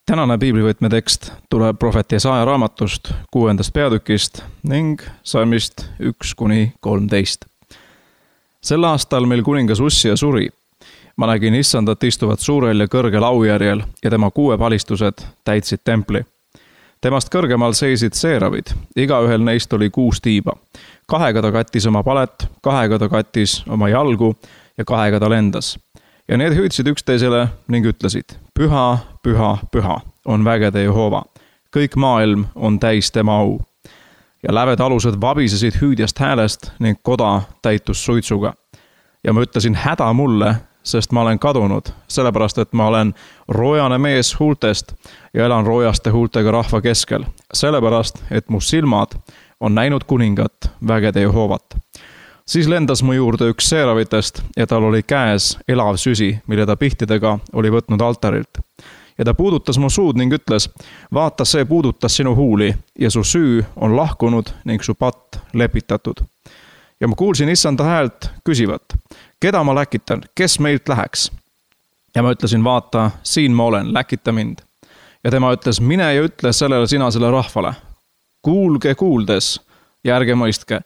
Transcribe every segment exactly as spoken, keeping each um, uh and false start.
Tänane piiblivõtme tekst tuleb prohvet Jesaja raamatust kuuendast peatükist ning salmist üks kuni kolmteist. Sel aastal meil kuningas Ussia suri. Ma nägin issandat istuvat suurel ja kõrgel aujärjel ja tema kuuepalistused täitsid templi. Temast kõrgemal seisid seeravid, igaühel neist oli kuus tiiba. Kahega ta kattis oma palet, kahega ta kattis oma jalgu ja kahega ta lendas. Ja need hüüdsid üksteisele ning ütlesid, püha, püha, püha on vägede Jehova. Kõik maailm on täis tema au. Ja läved alused vabisesid hüüdjast häälest ning koda täitus suitsuga. Ja ma ütlesin häda mulle, sest ma olen kadunud, sellepärast et ma olen roojane mees huultest ja elan roojaste huultega rahva keskel. Sellepärast, et mu silmad on näinud kuningat vägede Jehovat. Siis lendas mu juurde üks seeravitest ja tal oli käes elav süsi, mille ta pihtidega oli võtnud altarilt. Ja ta puudutas mu suud ning ütles, vaata, see puudutas sinu huuli ja su süü on lahkunud ning su patt lepitatud. Ja ma kuulsin issanda häält küsivat, keda ma läkitan, kes meilt läheks? Ja ma ütlesin, vaata, siin ma olen, läkita mind. Ja tema ütles, mine ja ütle sellele sinasele rahvale. Kuulge kuuldes ja ärge mõistke.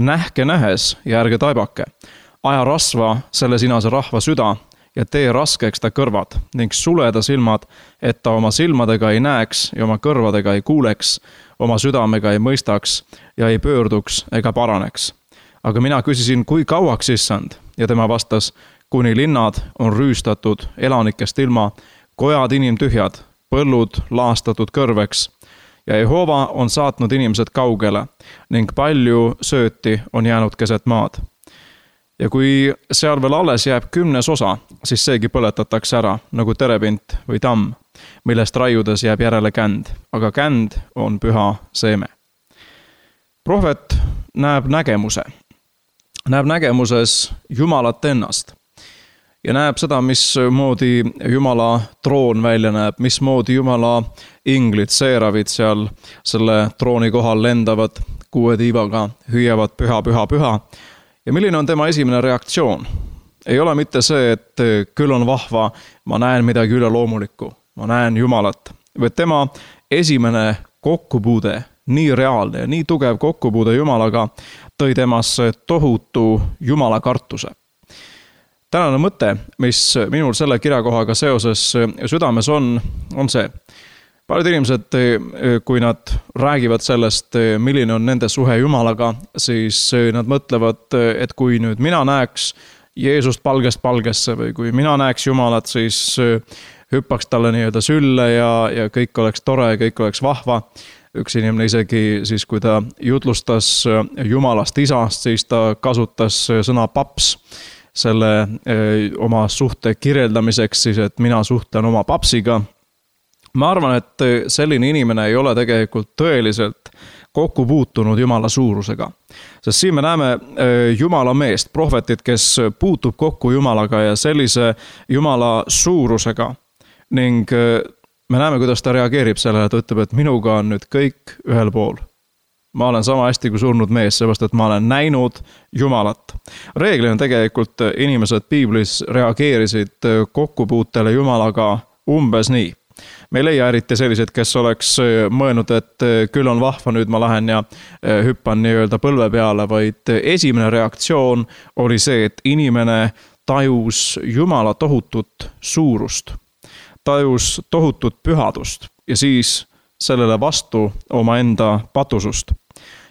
Nähke nähes ja ärge taibake. Aja rasva selle sinase rahva süda ja tee raskeks ta kõrvad ning sule ta silmad, et ta oma silmadega ei näeks ja oma kõrvadega ei kuuleks, oma südamega ei mõistaks ja ei pöörduks ega paraneks. Aga mina küsisin, kui kauaks issand? Ja tema vastas, kuni linnad on rüüstatud elanikest ilma, kojad inimtühjad, põllud laastatud kõrveks. Ja Jehova on saatnud inimesed kaugele ning palju sööti on jäänud keset maad. Ja kui seal veel alles jääb kümnes osa, siis seegi põletatakse ära nagu terepint või tamm, millest raiudes jääb järele känd, aga känd on püha seeme. Prohvet näeb nägemuse. Näeb nägemuses Jumalat ennast. Ja näeb seda, mismoodi Jumala troon välja näeb, mismoodi Jumala inglid, seeravid seal selle trooni kohal lendavad kuue tiivaga, hüüavad püha, püha, püha. Ja milline on tema esimene reaktsioon? Ei ole mitte see, et küll on vahva, ma näen midagi üle loomulikku, ma näen Jumalat. Või tema esimene kokkupuude, nii reaalne ja nii tugev kokkupuude Jumalaga, tõi temasse tohutu Jumala kartuse. Tänane mõte, mis minul selle kirjakohaga seoses südames on, on see. Paljud inimesed, kui nad räägivad sellest, milline on nende suhe Jumalaga, siis nad mõtlevad, et kui nüüd mina näeks Jeesust palgest palgesse või kui mina näeks Jumalat, siis hüppaks talle nii-öelda sülle ja, ja kõik oleks tore ja kõik oleks vahva. Üks inimene isegi siis, kui ta jutlustas Jumalast isast, siis ta kasutas sõna paps selle oma suhte kirjeldamiseks, siis et mina suhtlen oma papsiga. Ma arvan, et selline inimene ei ole tegelikult tõeliselt kokku puutunud Jumala suurusega. Sest siin me näeme Jumala meest, prohvetit, kes puutub kokku Jumalaga ja sellise Jumala suurusega. Ning me näeme, kuidas ta reageerib sellele, et ütleb, et minuga on nüüd kõik ühel pool. Ma olen sama hästi kui surnud mees, seepärast, et ma olen näinud Jumalat. Reeglina tegelikult inimesed piiblis reageerisid kokkupuutele Jumalaga umbes nii. Me ei leia eriti sellised, kes oleks mõelnud, et küll on vahva, nüüd ma lähen ja hüppan nii-öelda põlve peale, vaid esimene reaktsioon oli see, et inimene tajus Jumala tohutut suurust, tajus tohutut pühadust ja siis sellele vastu oma enda patusust.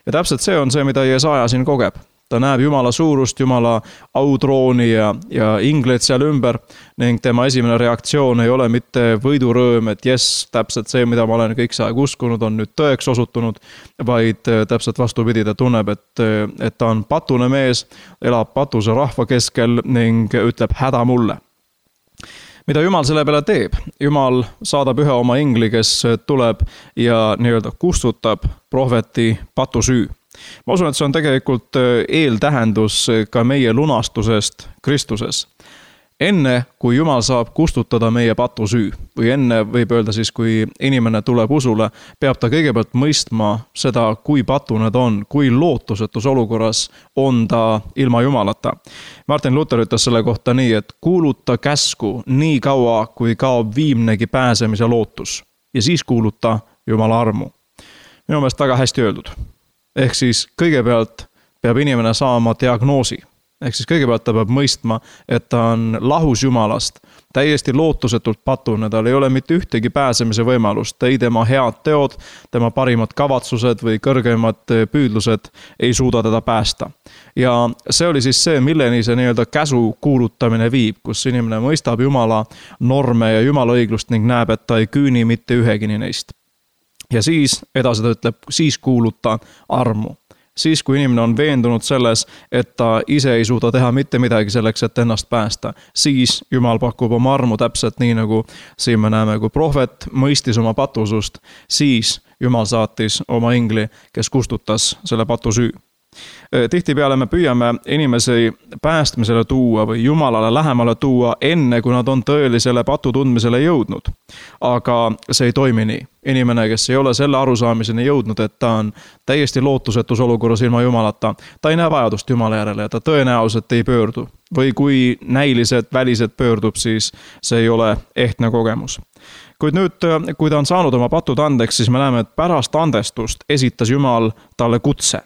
Ja täpselt see on see, mida Jesaja siin kogeb. Ta näeb Jumala suurust, Jumala autrooni ja, ja ingleid seal ümber ning tema esimene reaktsioon ei ole mitte võidurõõm, et jes, täpselt see, mida ma olen kõik see aeg uskunud, on nüüd tõeks osutunud, vaid täpselt vastupidi, ta tunneb, et, et ta on patune mees, elab patuse rahva keskel ning ütleb häda mulle. Mida Jumal selle peale teeb? Jumal saadab ühe oma ingli, kes tuleb ja nii-öelda kustutab prohveti patusüü. Ma usun, et see on tegelikult eeltähendus ka meie lunastusest Kristuses. Enne, kui Jumal saab kustutada meie patusüü, või enne võib öelda siis, kui inimene tuleb usule, peab ta kõigepealt mõistma seda, kui patune ta on, kui lootusetus olukorras on ta ilma Jumalata. Martin Luther ütles selle kohta nii, et kuuluta käsku nii kaua, kui kaob viimnegi pääsemise lootus. ja siis kuuluta Jumala armu. Minu meelest väga hästi öeldud. Ehk siis kõigepealt peab inimene saama diagnoosi. Ehk siis kõigepealt ta peab mõistma, et ta on lahus Jumalast, täiesti lootusetult patune, tal ei ole mitte ühtegi pääsemise võimalust, ei tema head teod, tema parimad kavatsused või kõrgemad püüdlused ei suuda teda päästa. Ja see oli siis see, milleni see nii-öelda käsu kuulutamine viib, kus inimene mõistab Jumala norme ja Jumala õiglust ning näeb, et ta ei küüni mitte ühegini neist. Ja siis edasi ta ütleb, siis kuuluta armu. Siis, kui inimene on veendunud selles, et ta ise ei suuda teha mitte midagi selleks, et ennast päästa, siis Jumal pakub oma armu täpselt nii, nagu siin me näeme, kui prohvet mõistis oma patusust, siis Jumal saatis oma ingli, kes kustutas selle patu süü. Tihtipeale me püüame inimesi päästmisele tuua või Jumalale lähemale tuua enne, kui nad on tõelisele patu tundmisele jõudnud. Aga see ei toimi nii. Inimene, kes ei ole selle arusaamiseni jõudnud, et ta on täiesti lootusetus olukorras ilma Jumalata, ta ei näe vajadust Jumala järele ja ta tõenäoliselt ei pöördu. Või kui näiliselt, väliselt pöördub, siis see ei ole ehtne kogemus. Kuid nüüd, kui ta on saanud oma patud andeks, siis me näeme, et pärast andestust esitas Jumal talle kutse.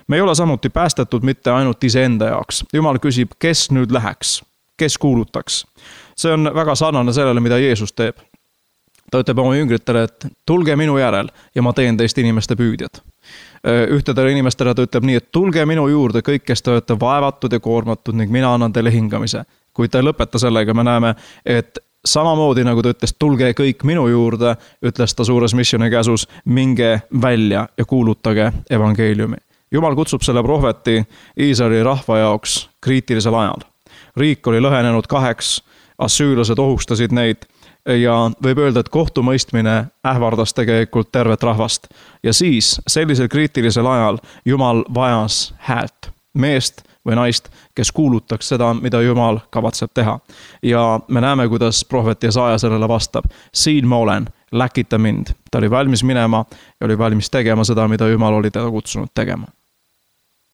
Me ei ole samuti päästetud mitte ainult iseenda jaoks. Jumal küsib, kes nüüd läheks, kes kuulutaks. See on väga sarnane sellele, mida Jeesus teeb. Ta ütleb oma jüngritele, et tulge minu järel ja ma teen teist inimeste püüdjad. Ühtedele inimestele ta ütleb nii, et tulge minu juurde kõik, kes te olete vaevatud ja koormatud ning mina annan teile hingamise. Kui ta ei lõpeta sellega, me näeme, et samamoodi nagu ta ütles, tulge kõik minu juurde, ütles ta suures missioni käsus, minge välja ja kuulutage evangeeliumi. Jumal kutsub selle prohveti Iisraeli rahva jaoks kriitilisel ajal. Riik oli lõhenenud kaheks, assüürlased ohustasid neid ja võib öelda, et kohtumõistmine ähvardas tegelikult tervet rahvast. Ja siis sellisel kriitilisel ajal Jumal vajas häält, meest või naist, kes kuulutaks seda, mida Jumal kavatseb teha. Ja me näeme, kuidas prohvet Jesaja sellele vastab. Siin ma olen, läkita mind. Ta oli valmis minema ja oli valmis tegema seda, mida Jumal oli teda kutsunud tegema.